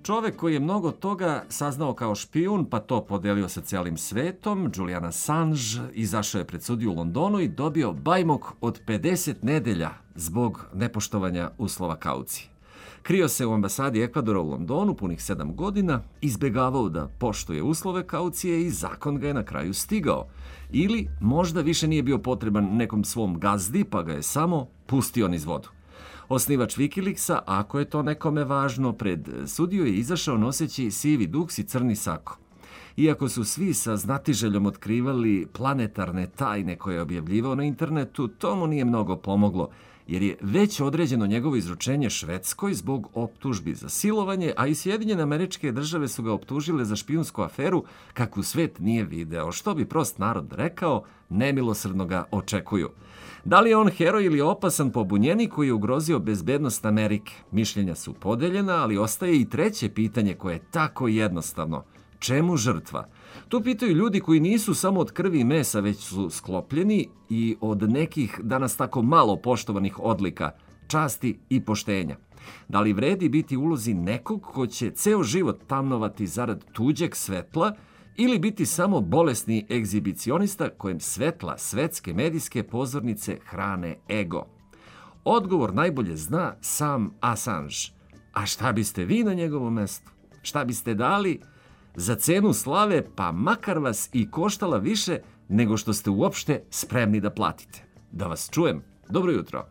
Čovek koji je mnogo toga saznao kao špijun, pa to podelio sa cijelim svetom, Julian Assange, izašao je pred sudiju u Londonu i dobio bajmok od 50 nedelja zbog nepoštovanja uslova kaucije. Krio se u ambasadi Ekvadora u Londonu punih 7 godina, izbjegavao da poštuje uslove kaucije i zakon ga je na kraju stigao. Ili možda više nije bio potreban nekom svom gazdi, pa ga je samo pustio niz vodu. Osnivač Wikileaksa, ako je to nekome važno, pred sudiju je izašao noseći sivi duks i crni sako. Iako su svi sa znatiželjom otkrivali planetarne tajne koje je objavljivao na internetu, to mu nije mnogo pomoglo, jer je već određeno njegovo izručenje Švedskoj zbog optužbi za silovanje, a i Sjedinjene Američke Države su ga optužile za špijunsku aferu kakvu svet nije video. Što bi prost narod rekao, nemilosrdno ga očekuju. Da li je on heroj ili opasan pobunjenik koji je ugrozio bezbednost Amerike? Mišljenja su podeljena, ali ostaje i treće pitanje koje je tako jednostavno. Čemu žrtva? Tu pitaju ljudi koji nisu samo od krvi i mesa, već su sklopljeni i od nekih danas tako malo poštovanih odlika, časti i poštenja. Da li vredi biti u ulozi nekog ko će ceo život tamnovati zarad tuđeg svetla ili biti samo bolesni egzibicionista kojem svetla svetske medijske pozornice hrane ego? Odgovor najbolje zna sam Assange. A šta biste vi na njegovom mestu? Šta biste dali za cenu slave, pa makar vas i koštala više nego što ste uopšte spremni da platite? Da vas čujem. Dobro jutro.